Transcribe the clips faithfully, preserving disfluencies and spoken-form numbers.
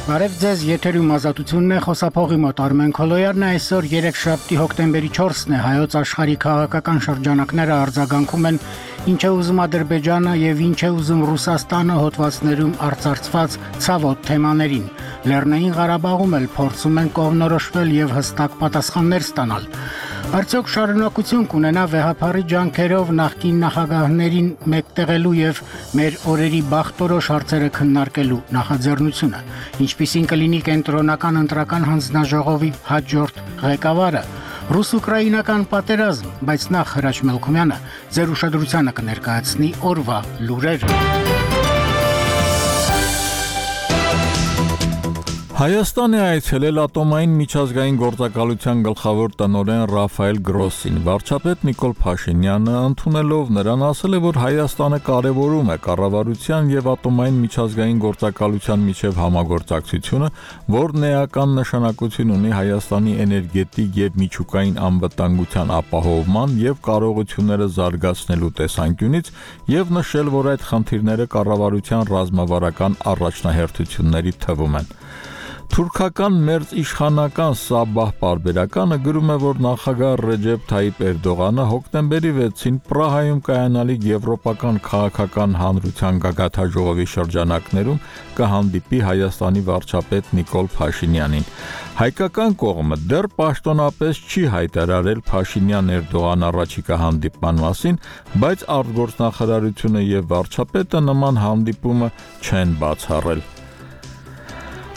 Բարև ձեզ, եթերում ազատությունն է, խոսափողի մոտ Արմեն Քոլոյարն է, այսօր երեքշաբթի հոկտեմբերի չորսն է, հայոց աշխարհի քաղաքական շրջանակները արձագանքում են ինչ է ուզում Ադրբեջանը եւ ինչ է ուզում Ռուսաստանը հոդվածներում արծարծված ցավոտ թեմաներին։ Լեռնային Ղարաբաղում էլ փորձում են կողմնորոշվել եւ հստակ պատասխաններ ստանալ։ Արդյոք շարունակություն կունենա վեհափարի ջանքերով նախկին նախագահներին մեկտեղելու եւ մեր օրերի բախտորոշ հարցերը քննարկելու նախաձեռնությունը։ Ինչպիսին կլինի կենտրոնական ընտրական հանձնաժողովի հաջորդ ղեկավարը։ Ռուս-ուկրաինական պատերազմ, բայց նախ Հրաչ Մելքումյանը ձեր ուշադրությանը կներկայացնի օրվա լուրեր։ Հայաստան է այցելել ատոմային միջազգային գործակալության գլխավոր տնօրեն Ռաֆայել Գրոսին։ Վարչապետ Նիկոլ Փաշինյանը ընդունելով նրան ասել է, որ Հայաստանը կարևորում է կառավարության եւ ատոմային միջազգային գործակալության միջև համագործակցությունը, որն էական նշանակություն ունի Հայաստանի էներգետիկ եւ միջուկային անվտանգության ապահովման եւ կարողությունները զարգացնելու տեսանկյունից եւ նշել, որ այդ խնդիրները կառավարության ռազմավարական առաջնահերթությունների թվում են։ Թուրքական մերձ իշխանական Սաբահ պարբերականը գրում է, որ նախագահ Ռեջեփ Թայիփ Էրդողանը հոկտեմբերի վեցին Պրահայում կայանալիք Եվրոպական քաղաքական հանրության գագաթաժողովի շրջանակներում կհանդիպի Հայաստանի վարչապետ Նիկոլ Փաշինյանին։ Հայկական կողմը դեռ պաշտոնապես չի հայտարարել Փաշինյան-Էրդողան առաջիկա հանդիպման մասին, բայց արտգործնախարարությունը եւ վարչապետը նման հանդիպումը չեն բացառել։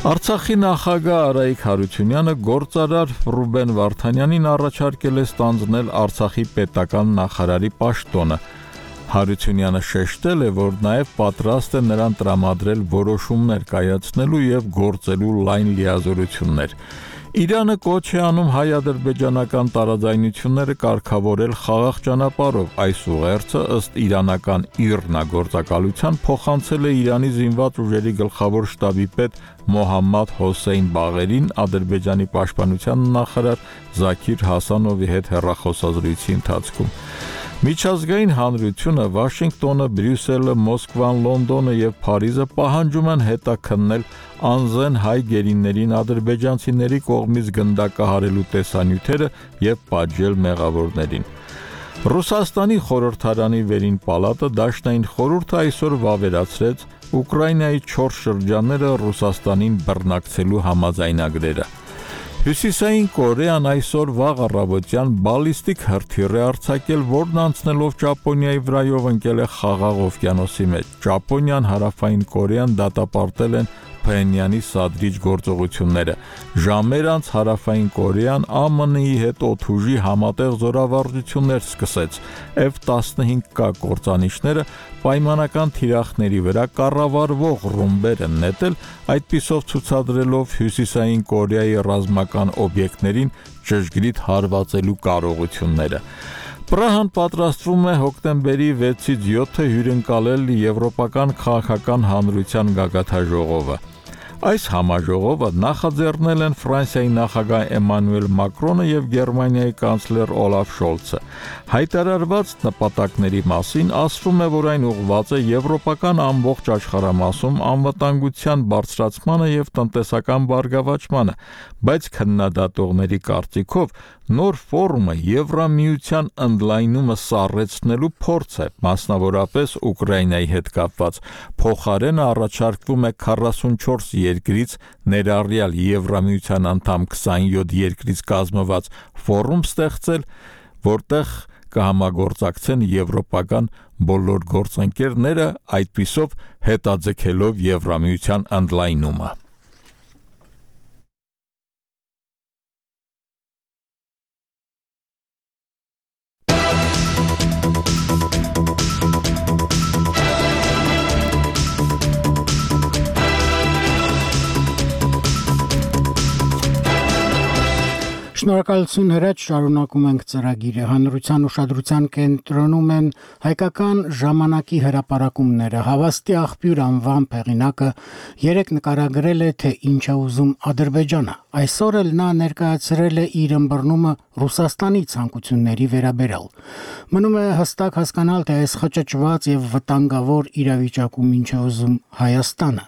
Արցախի նախագահ Արայիկ Հարությունյանը գործարար Ռուբեն Վարդանյանին առաջարկել է ստանձնել Արցախի պետական նախարարի պաշտոնը։ Հարությունյանը շեշտել է, որ նաև պատրաստ է նրան տրամադրել որոշումներ կայացնելու եւ գործելու լայն լիազորություններ։ Իրանը կոչ է անում հայ-ադրբեջանական տարաձայնությունները կարգավորել խաղաղ ճանապարհով։ Այս ուղերձը ըստ իրանական ԻՌՆԱ գործակալության փոխանցել է Իրանի զինված ուժերի գլխավոր շտաբի պետ Մոհամմադ Հոսեյն Բաղերին Ադրբեջանի պաշտպանության նախարար Զաքիր Հասանովի հետ հեռախոսազրույցի ընթացքում։ Միջազգային հանրությունը Վաշինգտոնը, Բրյուսելը, Մոսկվան, Լոնդոնը եւ Փարիզը պահանջում են հետաքննել անզեն հայ գերիներին ադրբեջանցիների կողմից գնդակահարելու տեսանյութերը եւ պատժել մեղավորներին։ Ռուսաստանի խորհրդարանի վերին պալատը դաշնային խորհուրդը այսօր վավերացրեց Ուկրաինայի չորս շրջանները Ռուսաստանին բռնակցելու համաձայնագրերը։ Հյուսիսային Կորեան այսօր վաղ առավոտյան բալիստիկ հրթիռ է արձակել, որն անցնելով Ճապոնիայի վրայով ընկել է Խաղաղ օվկիանոսի մեջ։ Ճապոնիան, Հարավային Կորեան դատապարտել են Փենյանի սադրիչ գործողությունները։ Ժամեր անց Հարավային Կորեան Α M N-ի հետ օդուժի համատեղ զորավարժություններ սկսեց։ F տասնհինգ K կործանիչները պայմանական թիրախների վրա կառավարվող ռումբեր են նետել, այդպիսով ցուցադրելով Հյուսիսային Կորեայի ռազմական օբյեկտներին ճշգրիտ հարվածելու կարողությունները։ Պրահան պատրաստվում է հոկտեմբերի վեցից յոթը հյուրընկալել Եվրոպական քաղաքական հանրության գագաթաժողովը։ Այս համաժողովը նախաձեռնել են Ֆրանսիայի նախագահ Էմանուել Մակրոնը եւ Գերմանիայի կանցլեր Օլաֆ Շոլցը։ Հայտարարված նպատակների մասին ասվում է, որ այն ուղղված է եվրոպական ամբողջ աշխարհամասում անվտանգության բարձրացմանը եւ տնտեսական բարգավաճմանը, բայց քննադատողների կարծիքով նոր ֆորումը Եվրամիության ընդլայնումը սառեցնելու փորձ է, մասնավորապես Ուկրաինայի հետ կապված։ Փոխարենը առաջարկվում է քառասունչորս երկրից ներառյալ Եվրամիության անդամ քսանյոթ երկրից կազմված ֆորում ստեղծել, որտեղ կհամագործակցեն եվրոպական բոլոր գործընկերները, այդպիսով հետաձգելով Եվրամիության ընդլայնումը։ Շնորհակալություն Հրաչ, շարունակում ենք ծրագիրը։ Հանրության ուշադրության կենտրոնում են հայկական ժամանակի հրապարակումները։ Հավաստի աղբյուր անվան հեղինակը երեք նկարագրել է, թե ինչ է ուզում Ադրբեջանը։ Այսօր էլ նա ներկայացրել է իր ըմբռնումը Ռուսաստանի ցանկությունների վերաբերյալ։ Մնում է հստակ հասկանալ, թե այս խճճված եւ վտանգավոր իրավիճակում ինչ է ուզում Հայաստանը։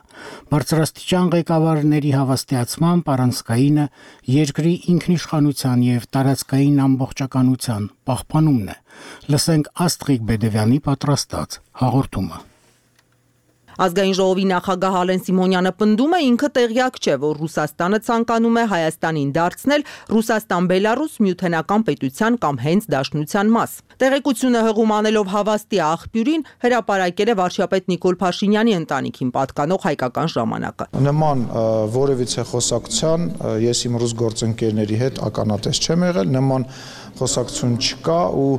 Բարձրաստիճան ղեկավարների հավաստիացմամբ առանցքայինը երկրի ինքնիշխանության եւ տարածքային ամբողջականության պահպանումն է։ Լսենք Աստղիկ Բեդևյանի պատրաստած հաղորդումը։ Ազգային ժողովի նախագահ Ալեն Սիմոնյանը պնդում է, ինքը տեղյակ չէ, որ Ռուսաստանը ցանկանում է Հայաստանին դարձնել Ռուսաստան-Բելարուս միութենական պետության կամ հենց դաշնության մաս։ Տեղեկությունը հղում անելով հավաստի աղբյուրին հրապարակել է վարչապետ Նիկոլ Փաշինյանի ընտանիքին պատկանող հայկական ժամանակը։ Նման որևիցե խոսակցության ես իմ ռուս գործընկերների հետ ականատես չեմ եղել, նման խոսակցություն չկա ու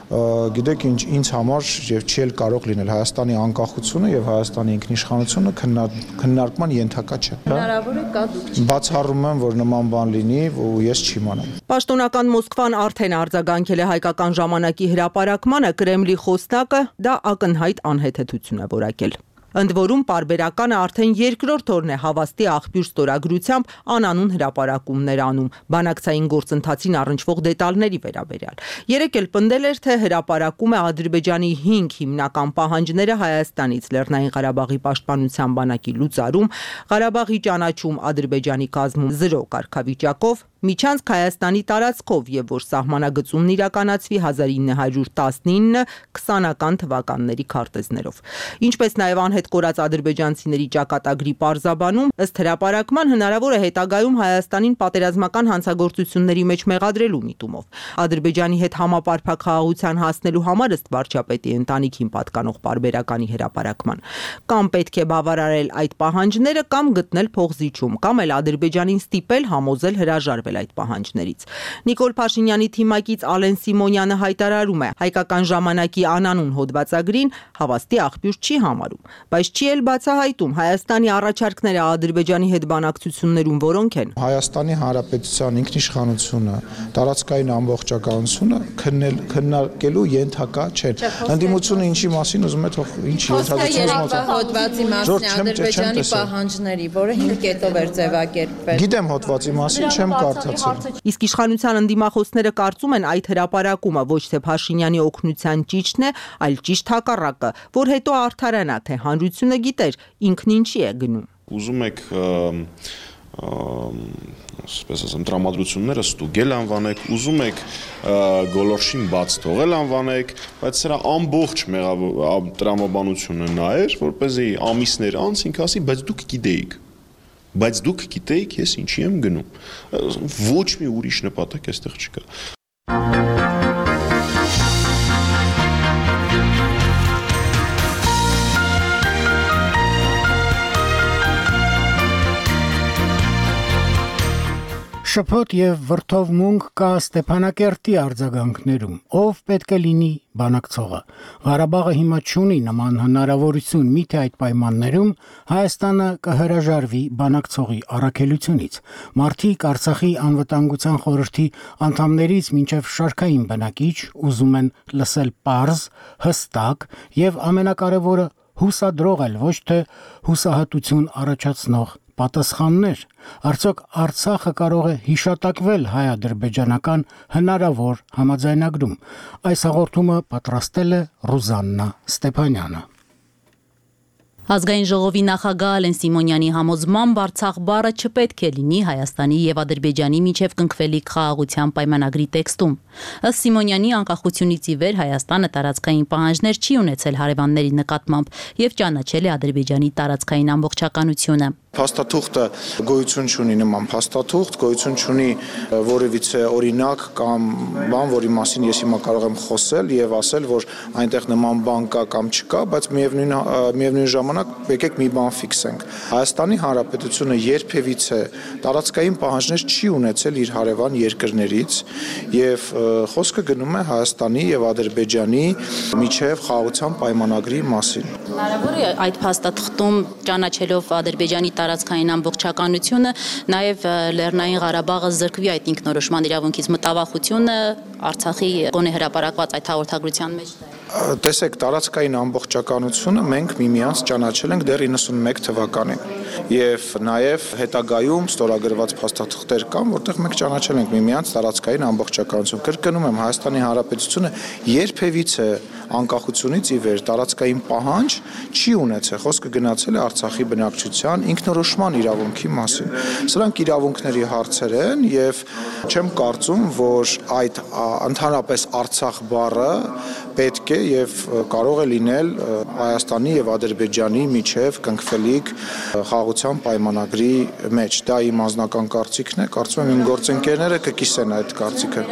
գիտեք ինչ ինձ համար եւ չի էլ կարող լինել Հայաստանի անկախությունը եւ Հայաստանի ինքնիշխանությունը քննարկման ենթակա չէ։ Հնարավոր է կա դուք։ Բացառում եմ, որ նման բան լինի ու ես չիմանամ։ Պաշտոնական Մոսկվան արդեն արձագանքել է հայկական ժամանակի հրապարակմանը, Կրեմլի խոսնակը դա ակնհայտ անհեթեթություն է որակել։ Ընդ որում պարբերականը արդեն երկրորդ օրն է հավաստի աղբյուր ստորագրությամբ անանուն հրապարակումներ անում, բանակցային գործընթացին առնչվող դետալների վերաբերյալ։ Երեկ էլ պնդել էր, թե հրապարակում է Ադրբեջանի հինգ հիմնական պահանջները Հայաստանից՝ Լեռնային Ղարաբաղի պաշտպանության բանակի լուծարում, Ղարաբաղի ճանաչում Ադրբեջանի կազմում զրո կարգավիճակով, միջանցք Հայաստանի տարածքով եւ որ սահմանագծումն իրականացվի հազար ինը հարյուր տասնինը քսանական թվականների քարտեզներով։ Ինչպես նաեւ անհետ կորած ադրբեջանցիների ճակատագրի պարզաբանում, ըստ հրապարակման հնարավոր է հետագայում Հայաստանին պատերազմական հանցագործությունների մեջ մեղադրելու միտումով։ Ադրբեջանի հետ համապարփակ խաղաղության հասնելու համար ըստ վարչապետի ընտանիքին պատկանող պարբերականի հրապարակման կամ պետք է բավարարել այդ պահանջները կամ գտնել փողզիջում, կամ էլ Ադրբեջանին ստիպել համոզել հրաժարվել այդ պահանջներից։ Նիկոլ Փաշինյանի թիմակից Ալեն Սիմոնյանը հայտարարում է, հայկական ժամանակի անանուն հոդվածագրին հավաստի աղբյուր չի համարում, բայց չի էլ բացահայտում Հայաստանի առաջարկները Ադրբեջանի հետ բանակցություններում որոնք են։ Հայաստանի Հանրապետության ինքնիշխանությունը, տարածքային ամբողջականությունը քննարկելու ենթակա չեն։ Ընդդիմությունը ինչի մասին ուզում է թող ինչ երեկվա հոդվածի մասին Ադրբեջանի պահանջների, որը հինգ կետով էր ձևակերպվել։ Գիտեմ հոդվածի մասին, չեմ կարդացել։ Իսկ իշխանության ընդդիմախոսները կարծում են այդ հրապարակումը ոչ թե Փաշինյանի օգնության ճիճն է, այլ ճիշտ հակառակը, որ հետո արդարանա, թե հանրությունը գիտեր ինքն ինչի է գնում։ Ուզում եք ասես ասեմ տրամադրությունները ստուգել անվանեք, ուզում եք գոլորշին բաց թողել անվանեք, բայց սրա ամբողջ տրամաբանությունը նա էր, որպեսզի ամիսներ անց ինքը ասի, բայց դուք գիտեիք, բայց դուք գիտեիք ես ինչի եմ գնում, ոչ մի ուրիշ նպատակ այստեղ չկա։ Շփոթ եւ վրդովմունք կա Ստեփանակերտի արձագանքներում, ով պետք է լինի բանակցողը։ Ղարաբաղը հիմա չունի նման հնարավորություն, միթե այդ պայմաններում Հայաստանը կհրաժարվի բանակցողի առաքելությունից։ Մարդիկ Արցախի անվտանգության խորհրդի անդամներից մինչև շարքային բնակիչ ուզում են լսել պարզ, հստակ եւ ամենակարևորը հուսադրող էլ ոչ թե հուսահատություն առաջացնող պատասխաններ։ Արդյոք Արցախը կարող է հիշատակվել հայ-ադրբեջանական հնարավոր համաձայնագրում։ Այս հաղորդումը պատրաստել է Ռուզաննա Ստեփանյանը։ Ազգային ժողովի նախագահ Ալեն Սիմոնյանի համոզմամբ Արցախ բառը չպետք է լինի Հայաստանի եւ Ադրբեջանի միջև կնքվելիք խաղաղության պայմանագրի տեքստում։ Ըստ Սիմոնյանի անկախությունից ի վեր Հայաստանը տարածքային պահանջներ չի ունեցել հարևանների նկատմամբ եւ ճանաչել է Ադրբեջանի տարածքային ամբողջականությունը։ Փաստաթուղթը գոյություն չունի նման փաստաթուղթ, գոյություն չունի որևիցե օրինակ կամ բան, որի մասին ես հիմա կարող եմ խոսել եւ ասել, որ այնտեղ նման բան կա կամ չկա, բայց միևնույն միևնույն ժամանակ եկեք մի բան ֆիքսենք։ Հայաստանի Հանրապետությունը երբևիցե տարածքային պահանջներ չի ունեցել իր հարևան երկրներից եւ խոսքը գնում է Հայաստանի եւ Ադրբեջանի միջև խաղաղության պայմանագրի մասին։ Հնարավոր է այդ փաստաթղթում ճանաչելով Ադրբեջանի տարածքային ամբողջականությունը, նաև Լեռնային Ղարաբաղը զրկվի այդ ինքնորոշման իրավունքից մտավախությունը Արցախի գոնե հրապարակված այդ հաղորդագրության մեջ։ Տեսեք, տարածքային ամբողջականությունը մենք միմյանց ճանաչել ենք դեռ իննսունմեկ թվականին եւ նաեւ հետագայում ստորագրված փաստաթղթեր կան, որտեղ մենք ճանաչել ենք միմյանց տարածքային ամբողջականություն։ Կրկնում եմ, Հայաստանի Հանրապետությունը երբևիցե անկախությունից ի վեր տարածքային պահանջ չի ունեցել։ Խոսքը գնացել է Արցախի բնակչության ինքնորոշման իրավունքի մասին։ Սրանք իրավունքների հարցեր են եւ չեմ կարծում, որ այդ ընդհանրապես Արցախ բառը պետք է եւ կարող է լինել Հայաստանի եւ Ադրբեջանի միջև կնքվելիք խաղաղության պայմանագրի մեջ։ Դա իմ անձնական կարծիքն է, կարծում եմ իմ գործընկերները կկիսեն այդ կարծիքը։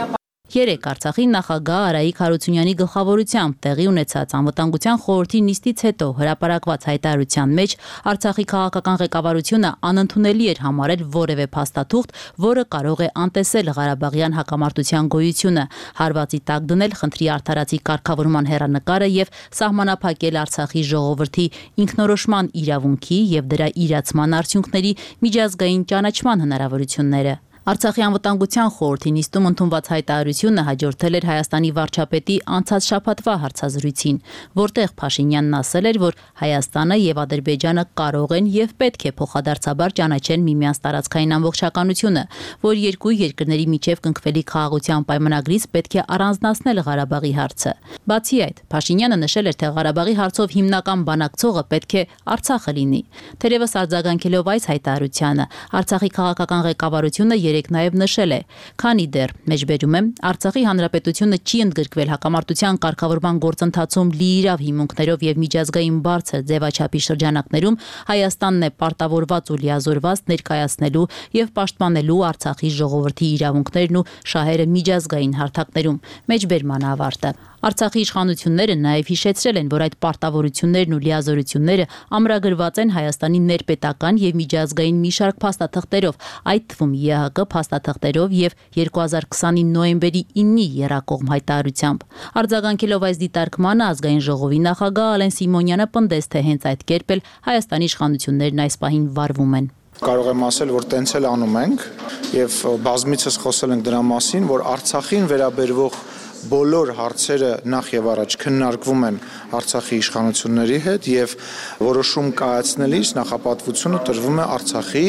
Երեկ Արցախի նախագահ Արայիկ Հարությունյանի գլխավորությամբ տեղի ունեցած անվտանգության խորհրդի նիստից հետո հրապարակված հայտարարության մեջ Արցախի քաղաքական ղեկավարությունը անընդունելի էր համարել որևէ փաստաթուղթ, որը կարող է անտեսել Ղարաբաղյան հակամարտության գոյությունը, հարվածի տակ դնել խնդրի արդարացի կարգավորման հեռանկարը եւ սահմանափակել Արցախի ժողովրդի ինքնորոշման իրավունքի եւ դրա իրացման արդյունքների միջազգային ճանաչման հնարավորությունները։ Արցախի անվտանգության խորհրդի նիստում ընդունված հայտարարությունը հաջորդել էր Հայաստանի վարչապետի անցած շաբաթվա հարցազրույցին, որտեղ Փաշինյանն ասել էր, որ Հայաստանը եւ Ադրբեջանը կարող են եւ պետք է փոխադարձաբար ճանաչեն միմյանց տարածքային ամբողջականությունը, որ երկու երկրների միջև կնքվելիք խաղաղության պայմանագրից պետք է առանձնացնել Ղարաբաղի հարցը։ Բացի այդ, Փաշինյանը նշել էր, թե Ղարաբաղի հարցով հիմնական բանակցողը պետք է Արցախը լինի։ Թերևս արձագանքելով այս հայտարարությանը, Արցախի քաղաքական ղեկավարությունը երեք նաև նշել է, քանի դեռ մեջբերում եմ Արցախի հանրապետությունը չի ընդգրկվել հակամարտության կարգավորման գործընթացում լիիրավ հիմունքներով եւ միջազգային բարձր ձևաչափի շրջանակներում, Հայաստանն է պարտավորված ու լիազորված ներկայացնելու եւ պաշտպանելու Արցախի ժողովրդի իրավունքներն ու շահերը միջազգային հարթակներում։ Մեջբերման ավարտը։ Արցախի իշխանությունները նաև հիշեցրել են, որ այդ պարտավորություններն ու լիազորությունները ամրագրված են Հայաստանի ներպետական եւ միջազգային մի շարք փաստաթղթերով, այդ թվում ԵՀԿ փաստաթղթերով եւ երկու հազար քսանի նոյեմբերի իննի եռակողմ հայտարարությամբ։ Արձագանքելով այս դիտարկմանը ազգային ժողովի նախագահ Ալեն Սիմոնյանը պնդեց, թե հենց այդ կերպ էլ Հայաստանի իշխանություններն այս պահին վարվում են։ Կարող եմ ասել, որ տենց էլ անում ենք եւ բազմիցս խոսել ենք դրա մասին, որ Արցախին վերաբերող բոլոր հարցերը նախ եւ առաջ քննարկվում են Արցախի իշխանությունների հետ եւ որոշում կայացնելիս նախապատվությունը տրվում է Արցախի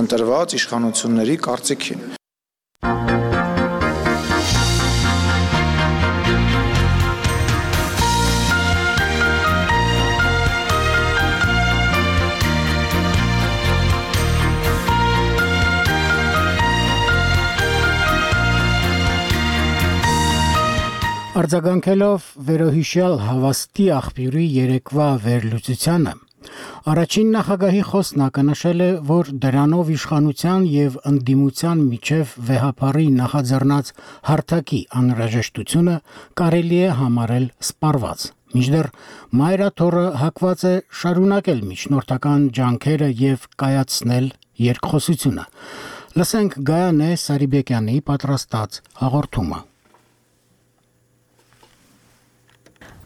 ընտրված իշխանությունների կարծիքին։ Արձագանքելով վերոհիշյալ Հավաստի աղբյուրի երեկվա վերլուծությանը, առաջին նախագահի խոսնակը նշել է, որ դրանով իշխանության եւ ընդդիմության միջև վեհապարի նախաձեռնած հարթակի անհրաժեշտությունը կարելի է համարել սպառված։ Մինչդեռ Մայրաթորը հակված է շարունակել միջնորդական ջանքերը եւ կայացնել երկխոսությունը։ Լսենք Գայանե Սարիբեկյանի պատրաստած հաղորդումը։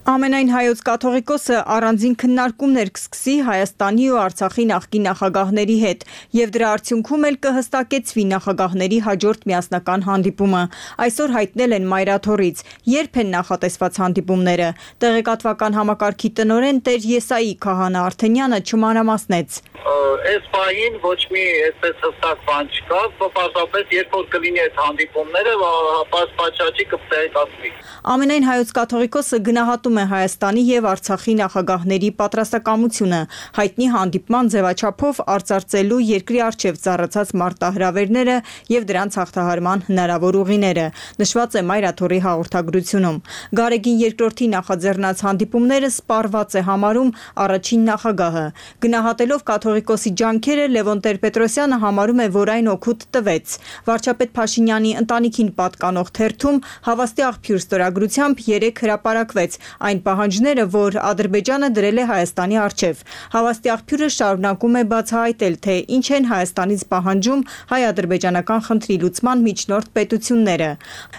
Ամենայն հայոց կաթողիկոսը առանձին քննարկումներ կսկսի Հայաստանի ու Արցախի նախկին նախագահների հետ եւ դրա արդյունքում էլ կհստակեցվի նախագահների հաջորդ միասնական հանդիպումը։ Այսօր հայտնել են Մայրաթորից, երբ են նախատեսված հանդիպումները։ Տեղեկատվական համակարգի տնօրեն Տեր Եսայի Քահանա Արթենյանը չմանրամասնեց։ Այս պահին ոչ մի այսպես հստակ բան չկա, պարզապես երբ որ կլինի այդ հանդիպումները, պատշաճի կտեղեկացվի։ Ամենայն հայոց կաթողիկոսը գնահատում է Հայաստանի եւ Արցախի նախագահների պատրաստակամությունը հայտնի հանդիպման ձևաչափով արծարծելու երկրի առջև ծառացած մարտահրավերները եւ դրանց հաղթահարման հնարավոր ուղիները, նշված է Մայրաթորի հաղորդագրությունում։ Գարեգին երկրորդի նախաձեռնած հանդիպումները սպառված է համարում առաջին նախագահը։ Գնահատելով կաթողիկոսի ջանքերը Լևոն Տեր-Պետրոսյանը համարում է, որ այն օգուտ տվեց։ Վարչապետ Փաշինյանի ընտանիքին պատկանող թերթում Հավաստի աղբյուր ստորագրությամբ երեք հրապարակվեց այն պահանջները, որ Ադրբեջանը դրել է Հայաստանի առջև։ Հավաստի աղբյուրը շարունակում է բացահայտել, թե ինչ են Հայաստանից պահանջում հայ-ադրբեջանական խնդրի լուծման միջնորդ պետությունները։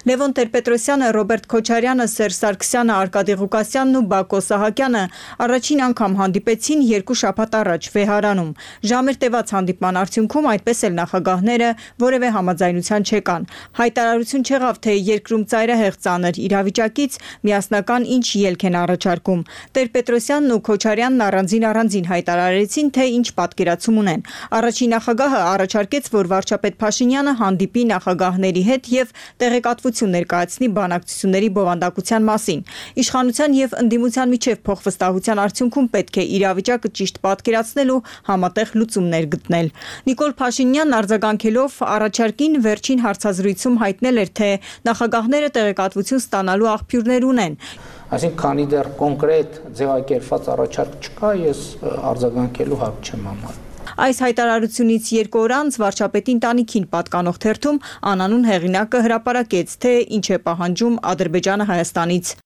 Լևոն Տեր-Պետրոսյանը, Ռոբերտ Քոչարյանը, Սերժ Սարգսյանը, Արկադի Ղուկասյանն ու Բակո Սահակյանը առաջին անգամ հանդիպեցին երկու շաբաթ առաջ Վեհարանում։ Ժամեր տևած հանդիպման արդյունքում այդպես էլ նախագահները որևէ համաձայնության չեկան։ Հայտարարություն չեղավ, թե երկրում ծայրահեղ ծանր իրավիճակից միասնական ինչ ելք ելք են առաջարկում։ Տեր-Պետրոսյանն ու Քոչարյանն առանձին առանձին հայտարարեցին, թե ինչ պատկերացում ունեն։ Առաջին նախագահը առաջարկեց, որ վարչապետ Փաշինյանը հանդիպի նախագահների հետ եւ տեղեկատվություն ներկայացնի բանակցությունների բովանդակության մասին։ Իշխանության եւ ընդդիմության միջև փոխվստահության արդյունքում պետք է իրավիճակը ճիշտ պատկերացնել ու համատեղ լուծումներ գտնել։ Նիկոլ Փաշինյանն արձագանքելով առաջարկին վերջին հարցազրույցում հայտնել էր, թե նախագահները տեղեկատվություն ստանալու աղբյուրներ ունեն։ Այսինքն, քանի դեռ կոնկրետ ձևակերպված առաջարկ չկա, ես արձագանքելու հակ չեմ համարում։ Այս հայտարարությունից երկու օր անց վարչապետի ընտանիքին պատկանող թերթում անանուն հեղինակը հրապարակեց, թե ինչ է պահանջում Ադրբեջանը Հայաստանից։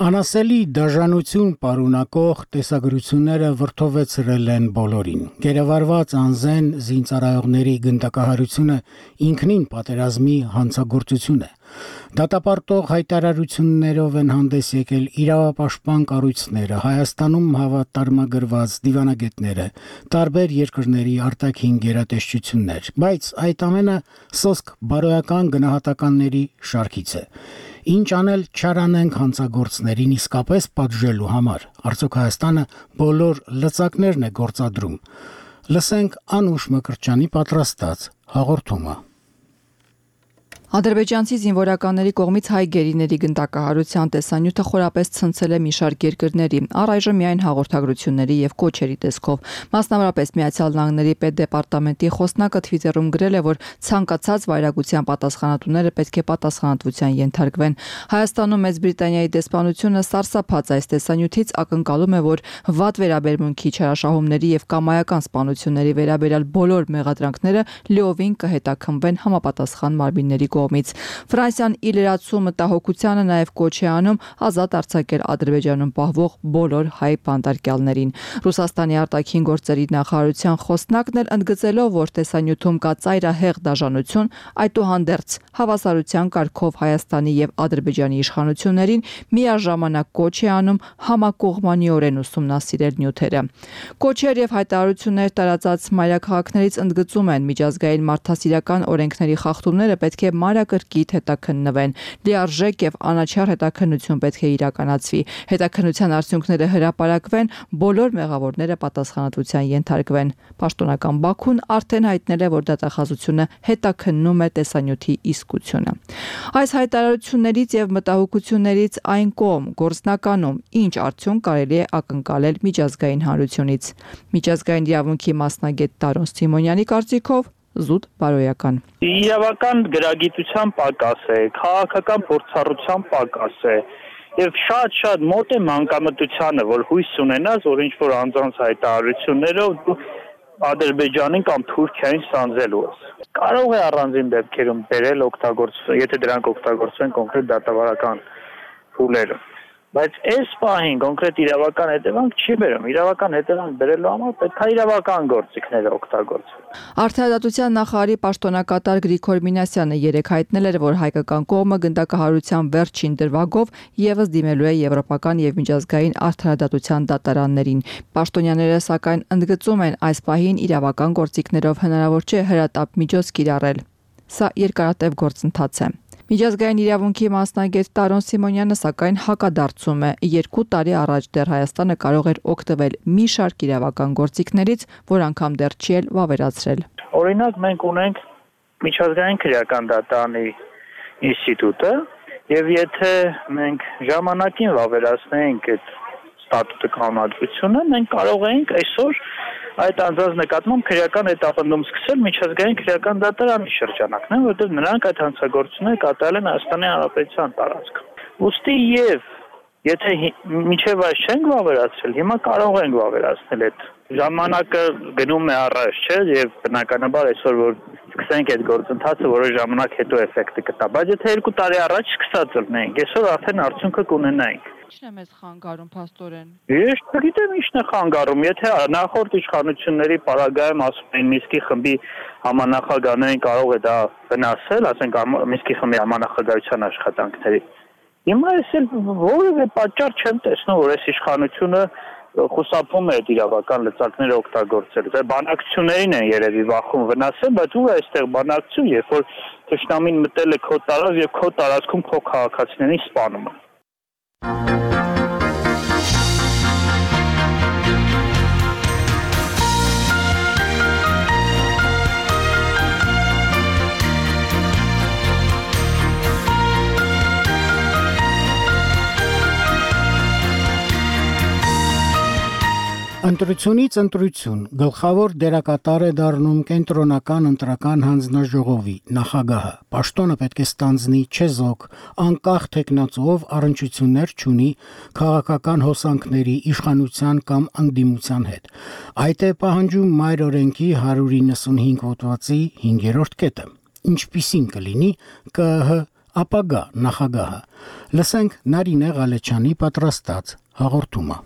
Անասելի դաժանություն պարունակող տեսագրությունները վրդովեցրել են բոլորին։ Գերեվարված անզեն զինծառայողների գնդակահարությունը ինքնին պատերազմի հանցագործություն է։ Դատապարտող հայտարարություններով են հանդես եկել իրավապաշտպան կառույցները, Հայաստանում հավատարմագրված դիվանագետները, տարբեր երկրների արտաքին գերատեսչություններ, բայց այդ ամենը սոսկ բարոյական գնահատականների շարքից է։ Ինչ անել չարանենք հանցագործներին իսկապես պատժելու համար։ Արդյոք Հայաստանը բոլոր լծակներն է գործադրում։ Լսենք Անուշ Մկրտչյանի պատրաստած հաղորդումը։ Ադրբեջանցի զինվորականների կողմից հայ գերիների գնդակահարության տեսանյութը խորապես ցնցել է մի շարք երկրների, առայժմ միայն հաղորդագրությունների եւ կոչերի տեսքով։ Մասնավորապես Միացյալ Նահանգների պետդեպարտամենտի խոսնակը Twitter-ում գրել է, որ ցանկացած վայրագության պատասխանատուները պետք է պատասխանատվության ենթարկվեն։ Հայաստանում Մեծ Բրիտանիայի դեսպանությունը սարսափած այս տեսանյութից ակնկալում է, որ վատ վերաբերմունքի, չարաշահումների եւ կամայական սպանությունների վերաբերյալ բոլոր մեղադրանքները լիովին կհետաքննվեն համապատասխան մարմինների կողմից։ Ֆրանսիան ի լրացու մտահոգությանը նաև կոչ է անում ազատ արձակել Ադրբեջանում պահվող բոլոր հայ բանտարկյալներին։ Ռուսաստանի արտաքին գործերի նախարարության խոսնակն էլ ընդգծելով, որ տեսանյութում կա ծայրահեղ դաժանություն, այդուհանդերձ հավասարության կարգով Հայաստանի եւ Ադրբեջանի իշխանություններին միաժամանակ կոչ է անում համակողմանիորեն ուսումնասիրել նյութերը։ Կոչեր եւ հայտարարություններ տարածած մայրաքաղաքներից ընդգծում են միջազգային մարդասիրական օրենքների խախտումները պետք է մանրակրկիտ հետաքննվեն, լիարժեք եւ անաչառ հետաքննություն պետք է իրականացվի, հետաքննության արդյունքները հրապարակվեն, բոլոր մեղավորները պատասխանատվության ենթարկվեն։ Պաշտոնական Բաքուն արդեն հայտնել է, որ դատախազությունը հետաքննում է տեսանյութի իսկությունը։ Այս հայտարարություններից եւ մտահոգություններից այն կողմ գործնականում ինչ արդյունք կարելի է ակնկալել միջազգային հանրությունից։ Միջազգային իրավունքի մասնագետ Տարոն Սիմոնյանի կարծիքով զուտ բարոյական։ Իրավական գրագիտության պակաս է, քաղաքական փորձառության պակաս է եւ շատ-շատ մոտ է մանկամտությանը, որ հույս ունենաս, որ ինչ որ անձանց հայտարարություններով դու Ադրբեջանին կամ Թուրքիային սանձելու ես։ Կարող է առանձին դեպքերում բերել օգտագործվել, եթե դրանք օգտագործվեն կոնկրետ դատավարական փուլերում։ Բայց այս պահին կոնկրետ իրավական հետևանք չի բերում։ Իրավական հետևանք բերելու համար պետք է իրավական գործիքները օգտագործվեն։ Արդարադատության նախարարի պաշտոնակատար Գրիգոր Մինասյանը երեկ հայտնել էր, որ հայկական կողմը գնդակահարության վերջին դրվագով եւս դիմելու է եվրոպական եւ միջազգային արդարադատության դատարաններին։ Պաշտոնյաները սակայն ընդգծում են, այս պահին իրավական գործիքներով հնարավոր չէ հրատապ միջոց կիրառել։ Սա երկարատև գործընթաց է։ Միջազգային իրավունքի մասնագետ Տարոն Սիմոնյանը սակայն հակադարձում է։ Երկու տարի առաջ դեռ Հայաստանը կարող էր օգտվել մի շարք իրավական գործիքներից, որ անգամ դեռ չի էլ վավերացրել։ Օրինակ մենք ունենք միջազգային քրեական դատարանի ինստիտուտը, եւ եթե մենք ժամանակին վավերացնենք այդ ստատուտը կանոնադրությունը, մենք կարող ենք այսօր այդ անձանց նկատմամբ քրեական հետապնդում սկսել միջազգային քրեական դատարանի շրջանակներում, որտեղ նրանք այդ հանցագործությունները կատարել են Հայաստանի Հանրապետության տարածքում։ Ոստի եւ եթե մինչեւ այս չենք վավերացրել, հիմա կարող ենք վավերացնել այդ ժամանակը գնում է առաջ, չէ, եւ բնականաբար այսօր որ սկսենք այդ գործընթացը, որոշ ժամանակ հետո էֆեկտը կտա, բայց եթե երկու տարի առաջ սկսած լինենք, այսօր արդեն արդյունքը կունենայինք։ Ի՞նչն է մեզ խանգարում փաստորեն։ Ես չգիտեմ ինչն է խանգարում, եթե նախորդ իշխանությունների պարագայում ասում են Միսկի խմբի համանախագահներին կարող է դա վնասել, ասենք Միսկի խմբի համանախագահության աշխատանքների։ Հիմա ես էլ որևէ պատճառ չեմ տեսնում, որ այս իշխանությունը խուսափում է այդ իրավական լծակները օգտագործել։ Դա բանակցություններին են երևի վախում վնասել, բայց ու այստեղ բանակցություն, երբ որ թշնամին մտել է քո տարածք եւ քո տարածքում քո քաղաքացիներին սպանում է։ Ընտրությունից ընտրություն գլխավոր դերակատար է դառնում կենտրոնական ընտրական հանձնաժողովի նախագահը։ Պաշտոնը պետք է ստանձնի չեզոք, անկախ թեկնածուով առնչություններ չունի քաղաքական հոսանքների, իշխանության կամ ընդդիմության հետ։ Այդ է պահանջում մայր օրենքի հարյուր իննսունհինգ հոդվածի հինգերորդ կետը։ Ինչպիսին կլինի ԿԸՀ ապագա նախագահը։ Լսենք Նարինե Ղալեչյանի պատրաստած հաղորդումը։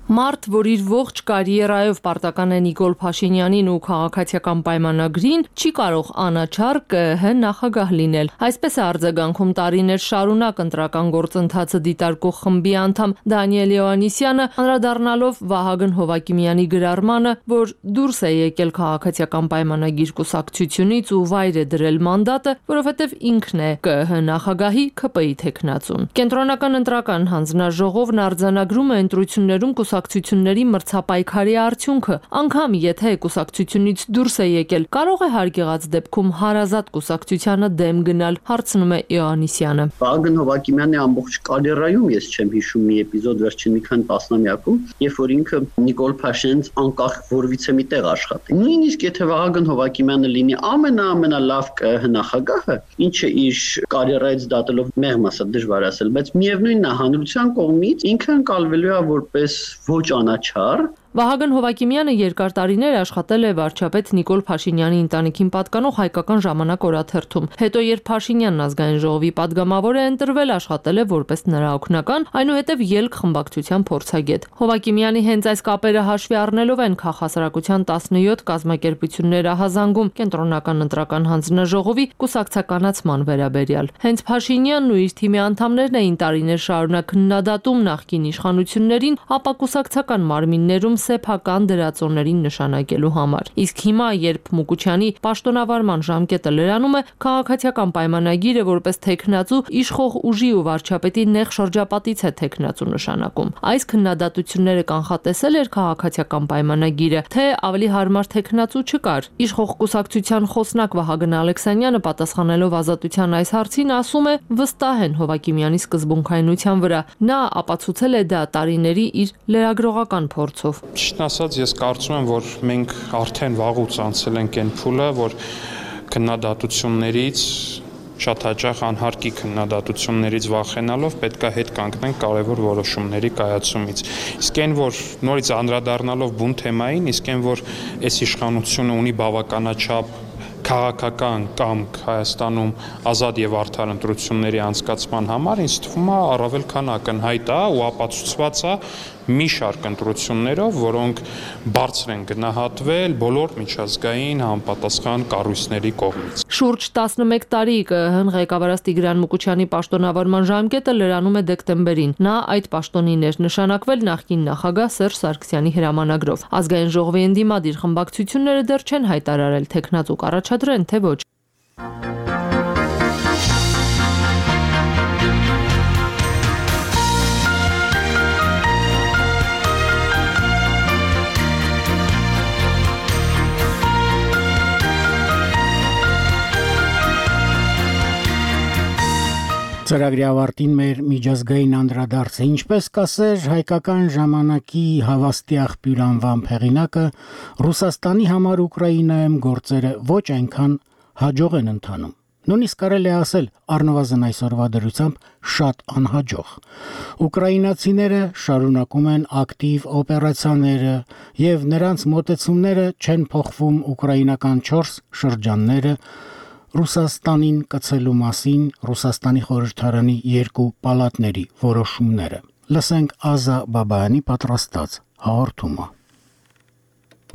Մարդ, որ իր ողջ կարիերայով պարտական է Նիկոլ Փաշինյանին ու քաղաքացիական պայմանագրին, չի կարող անաչառ ԿԸՀ նախագահ լինել։ Այսպես է արձագանքում տարիներ շարունակ ընտրական գործընթացը դիտարկող խմբի անդամ Դանիել Հովհաննիսյանը, անդրադառնալով Վահագն Հովհակիմյանի գրառմանը, որ դուրս է եկել քաղաքացիական պայմանագիր կուսակցությունից ու վայր է դրել մանդատը, որովհետև ինքն է ԿԸՀ նախագահի ՔՊ-ի թեկնածուն։ Կենտրոնական ընտրական հանձնաժողովն արձանագրում է ընտրություններում կուսակցությունների մրցապայքարի արդյունքը, անգամ եթե կուսակցությունից դուրս է եկել, կարող է հարգեղած դեպքում հարազատ կուսակցությանը դեմ գնալ, հարցնում է Հովհաննիսյանը։ Վահագն Հովհակիմյանի ամբողջ կարիերայում ես չեմ հիշում մի էպիզոդ վերջին մի քանի տասնամյակում, երբ որ ինքը Նիկոլ Փաշինյանից անկախ որևիցե մի տեղ աշխատի։ Նույնիսկ եթե Վահագն Հովհակիմյանը լինի ամենաամենալավ ԿԸՀ նախագահը, ինչը իր կարիերայից դատելով մեղմ ասա դժվար ասել, բայց միևնույնն է հանրության կողմից ինքը ընկալվելու է որպես ոչ անաչառ։ Վահագն Հովհակիմյանը երկար տարիներ աշխատել է վարչապետ Նիկոլ Փաշինյանի ընտանիքին պատկանող Հայկական ժամանակ օրաթերթում։ Հետո երբ Փաշինյանն ազգային ժողովի падգամավոր է ընտրվել, աշխատել է որպես նրա օգնական, այնուհետև ելք խմբակցության փորձագետ։ Հովհակիմյանի հենց այս կապերը հաշվի առնելով են քաղաքասարակության տասնյոթ կազմակերպություններ ահազանգում կենտրոնական ընտրական հանձնաժողովի կուսակցականացման վերաբերյալ։ Հենց Փաշինյանն ու իր թիմի անդամներն էին տարիներ շարունակ քննադատում նախկին իշխանություններին, ապա կուսակցական մարմիններում սեփական դրածոներին նշանակելու համար։ Իսկ հիմա, երբ Մուկուչյանի պաշտոնավարման ժամկետը լրանում է, քաղաքացիական պայմանագիրը որպես թեկնածու իշխող ուժի ու վարչապետի նեղ շրջապատից է թեկնածու նշանակում։ Այս քննադատությունները կանխատեսել էր քաղաքացիական պայմանագիրը, թե ավելի հարմար թեկնածու չկար։ Իշխող կուսակցության խոսնակ Վահագն Ալեքսանյանը պատասխանելով Ազատության այս հարցին ասում է, վստահ են Հովհակիմյանի սկզբունքայնության վրա։ Նա ապացուցել է դա տարիների իր լրագրողական փորձով։ Ճիշտն ասած, ես կարծում եմ, որ մենք արդեն վաղուց անցել ենք այն փուլը, որ քննադատություններից շատ հաճախ անհարկի քննադատություններից վախենալով պետք է հետ կանգնենք կարևոր որոշումների կայացումից։ Իսկ այն, որ նորից անդրադառնալով բուն թեմային, իսկ այն, որ այս իշխանությունը ունի բավականաչափ քաղաքական կամք Հայաստանում ազատ եւ արդար ընտրությունների անցկացման համար, ինձ թվում է առավել քան ակնհայտ է ու ապացուցված է մի շարք ընտրություններով, որոնք բարձր են գնահատվել բոլոր միջազգային համապատասխան կառույցների կողմից։ Շուրջ տասնմեկ տարի ԿԸՀ-ն ղեկավարած Տիգրան Մուկուչյանի պաշտոնավարման ժամկետը լրանում է դեկտեմբերին։ Նա այդ պաշտոնին էր նշանակվել նախկին նախագահ Սերժ Սարգսյանի հրամանագրով։ Ազգային ժողովի ընդդիմադիր խմբակցությունները դեռ չեն հայտարարել թեկնածու կառաջադրեն, թե ոչ։ Ծրագրի ավարտին մեր միջազգային անդրադարձը, ինչպես կասեր հայկական ժամանակի հավաստի աղբյուր անվան հեղինակը, Ռուսաստանի համար Ուկրաինայում գործերը ոչ այնքան հաջող են ընթանում։ Նույնիսկ կարելի է ասել առնվազն այսօրվա դրությամբ շատ անհաջող։ Ուկրաինացիները շարունակում են ակտիվ օպերացիաները եւ նրանց մոտեցումները չեն փոխվում ուկրաինական չորս շրջանները Ռուսաստանին կցելու մասին Ռուսաստանի խորհրդարանի երկու պալատների որոշումները։ Լսենք Ազա Բաբայանի պատրաստած հաղորդումը։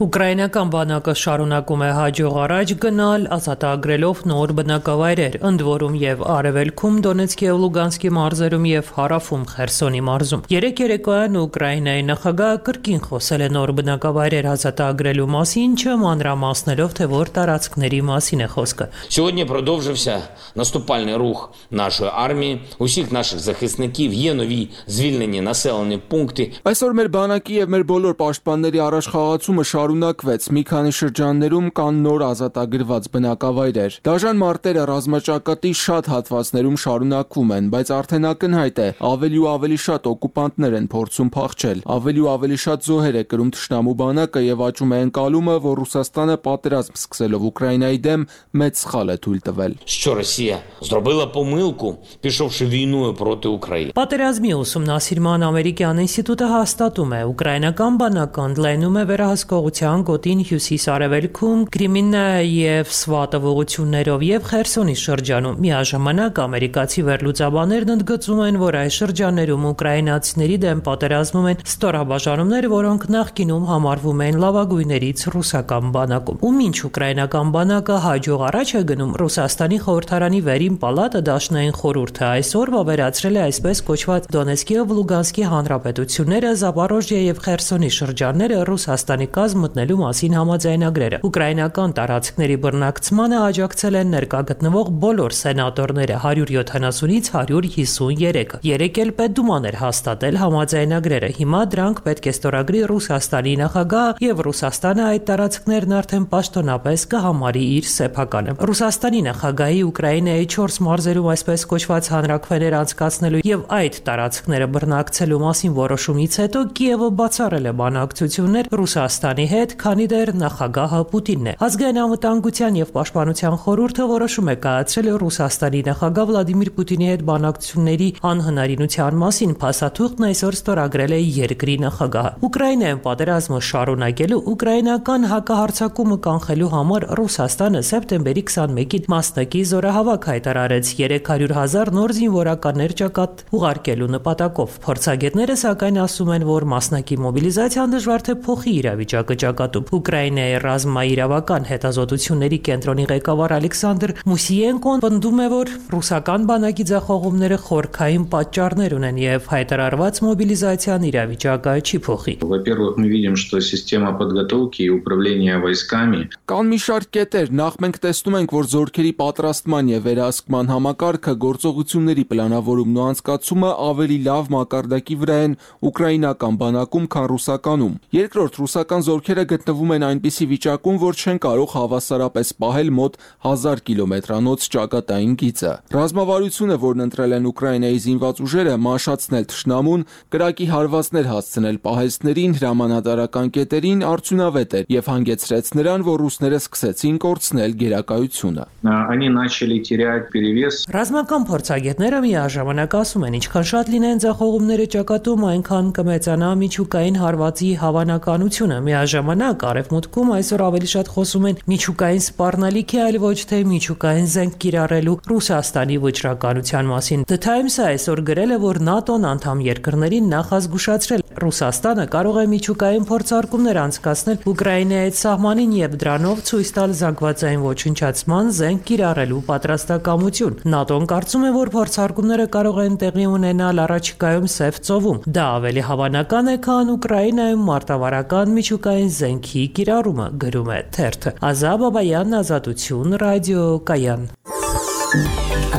Ուկրաինական բանակը շարունակում է հաջող առաջ գնալ, ազատագրելով նոր բնակավայրեր, ընդ որում եւ Արևելքում Դոնեցկի եւ Լուգանսկի մարզերում եւ Հարավում Խերսոնի մարզում։ Երեք երեկոյան Ուկրաինայի նախագահը կրկին խոսել է նոր բնակավայրեր ազատագրելու մասին, ինչը մանրամասնելով, թե որ տարածքների մասին է խոսքը։ Сьогодні продовжився наступальний рух нашої армії, усіх наших захисників, є нові звільнені населені пункти. Այսօր մեր բանակի եւ մեր բոլոր պաշտպանների առաջխաղացումը շարունակվեց։ Մի քանի շրջաններում կան նոր ազատագրված բնակավայրեր։ Դաժան մարտերը ռազմաճակատի շատ հատվածներում շարունակվում են, բայց արդեն ակնհայտ է, ավելի ու ավելի շատ օկուպանտներ են փորձում փախչել։ Ավելի ու ավելի շատ զոհեր է կրում թշնամու բանակը եւ աճում է ընկալումը, որ Ռուսաստանը պատերազմ սկսելով Ուկրաինայի դեմ մեծ սխալ է թույլ տվել։ Що Росія зробила помилку, пішовши війною проти України. Պատերազմի ուսումնասիրման ամերիկյան ինստիտուտը հաստատում է, ուկրաինական բանակը ընդլայնում է վերահսկողության գոտին հյուսիս-արևելքում, Կրիմինա եւ Սվատով ուղություններով եւ Խերսոնի շրջանում։ Միաժամանակ ամերիկացի վերլուծաբաններն ընդգծում են, որ այս շրջաններում ուկրաինացիների դեմ պատերազմում են ստորաբաժանումներ, որոնք նախկինում համարվում են լավագույններից ռուսական բանակում։ Ու մինչ ուկրաինական բանակը հաջող առաջ է գնում, Ռուսաստանի խորհրդարանի վերին պալատը Դաշնային խորհուրդը այսօր վավերացրել է այսպես կոչված Դոնեցկի եւ Լուգանսկի հանրապետությունները, Զապորոժիա եւ Խերսոնի շրջանները Ռուսաստանի կազմ մտնելու մասին համաձայնագրերը։ Ուկրաինական տարածքների բռնակցմանը աջակցել են ներկա գտնվող բոլոր սենատորները հարյուր յոթանասունից հարյուր հիսուններեքը։ Երեք էլ Պետդուման էր հաստատել համաձայնագրերը։ Հիմա դրանք պետք է ստորագրի Ռուսաստանի նախագահը եւ Ռուսաստանը այդ տարածքներն արդեն պաշտոնապես կհամարի իր սեփականը։ Ռուսաստանի նախագահի Ուկրաինայի չորս մարզերում այսպես կոչված հանրաքվեներ անցկացնելու եւ այդ տարածքները բռնակցելու մասին որոշումից հետո Կիևը բացառել է բանակցություններ Ռուսաստանի հետ, քանի դեռ նախագահը Պուտինն է։ Ազգային անվտանգության եւ պաշտպանության խորհուրդը որոշում է կայացրել Ռուսաստանի նախագահ Վլադիմիր Պուտինի հետ բանակցությունների անհնարինության մասին, փաստաթուղթն այսօր ստորագրել է երկրի նախագահը։ Ուկրաինայում պատերազմը շարունակելու ուկրաինական հակահարձակումը կանխելու համար Ռուսաստանը սեպտեմբերի քսանմեկին մասնակի զորահավաք հայտարարեց երեք հարյուր հազար նոր զինվորականներ ճակատ ուղարկելու նպատակով։ Փորձագետները սակայն ասում են, որ մասնակի մոբիլիզացիան դժվար թե փոխի իրավիճակը ճակատում։ Ուկրաինայի ռազմաիրավական հետազոտությունների կենտրոնի ղեկավար Ալեքսանդր Մուսիենկոն պնդում է, որ ռուսական բանակի ձախողումները խորքային պատճառներ ունեն եւ հայտարարված մոբիլիզացիան իրավիճակը չի փոխի։ Во-первых, мы видим, что система подготовки и управления войсками Կան մի շարք կետեր, նախ մենք տեսնում ենք, որ զորքերի պատրաստման եւ վերահսկման համակարգը, գործողությունների պլանավորումն ու անցկացումը ավելի լավ մակարդակի վրա են ուկրաինական բանակում, քան ռուսականում։ Երկրորդ, ռուսական զորքերը գտնվում են այնպիսի վիճակում, որ չեն կարող հավասարապես պահել մոտ հազար կիլոմետրանոց ճակատային գիծը։ Ռազմավարությունը, որն ընտրել են Ուկրաինայի զինված ուժերը, մաշացնել թշնամուն, կրակի հարվածներ հասցնել պահեստներին, հրամանատարական կետերին, արդյունավետ էր եւ հանգեցրեց նրան, որ ռուսները սկսեցին կորցնել գերակայությունը։ Они начали терять перевес. Ռազմական փորձագետները միաժամանակ ասում են, ինչքան շատ լինեն ձախողումները ճակատում, այնքան կմեծանա միջուկային հարվածի հավանականությունը։ Միաժամանակ արևմուտքում այսօր ավելի շատ խոսում են միջուկային սպառնալիքի, այլ ոչ թե միջուկային զենք կիրառելու Ռուսաստանի վճռականության մասին։ The Times-ը այսօր գրել է, որ ՆԱՏՕ-ն անդամ երկրներին նախազգուշացրել Ռուսաստանը կարող է միջուկային փորձարկումներ անցկացնել Ուկրաինայի սահմանին եւ դրանով ցույց տալ զանգվածային ոչնչացման զենք կիրառելու պատրաստակամություն։ ՆԱՏՕ-ն կարծում է, որ փորձարկումները կարող են տեղի ունենալ առաջիկայում Սև ծովում։ Դա ավելի հավանական է, քան Ուկրաինայում մարտավարական միջուկային զենքի կիրառումը, գրում է թերթը։ Ազա Բաբայան, Ազատություն, ռադիո Կայան։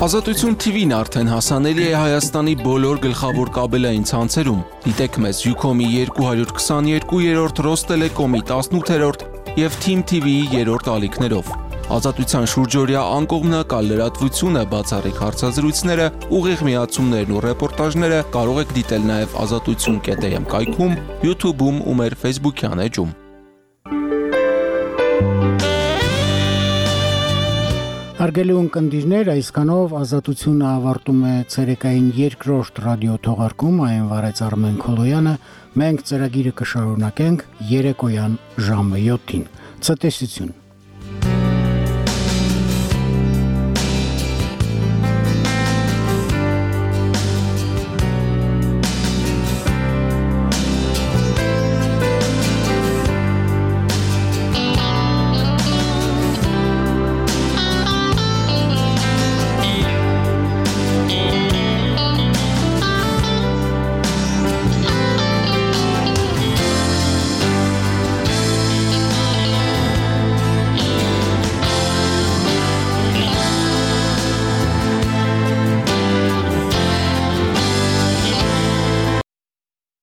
Ազատություն թի վին արդեն հասանելի է Հայաստանի բոլոր գլխավոր կաբելային ցանցերում։ Դիտեք մեզ Յուքոմի երկու հարյուր քսաներկու, Ռոստելեկոմի տասնութերորդ եւ Թիմ թի վիի երրորդ ալիքներով։ Ազատության շուրջօրյա անկողմնակալ լրատվությունը, բացառիկ հարցազրույցները, ուղիղ միացումներն ու ռեպորտաժները կարող եք դիտել նաև ազատություն կետ էմ կայքում, YouTube-ում ու մեր Facebook-յան էջում։ Հարգելի ունկնդիրներ, այսքանով Ազատությունը ավարտում է ցերեկային երկրորդ ռադիո թողարկում, այն վարեց Արմեն Քոլոյանը, մենք ծրագիրը կշարունակենք երեկոյան ժամը յոթին։ Ցտեսություն։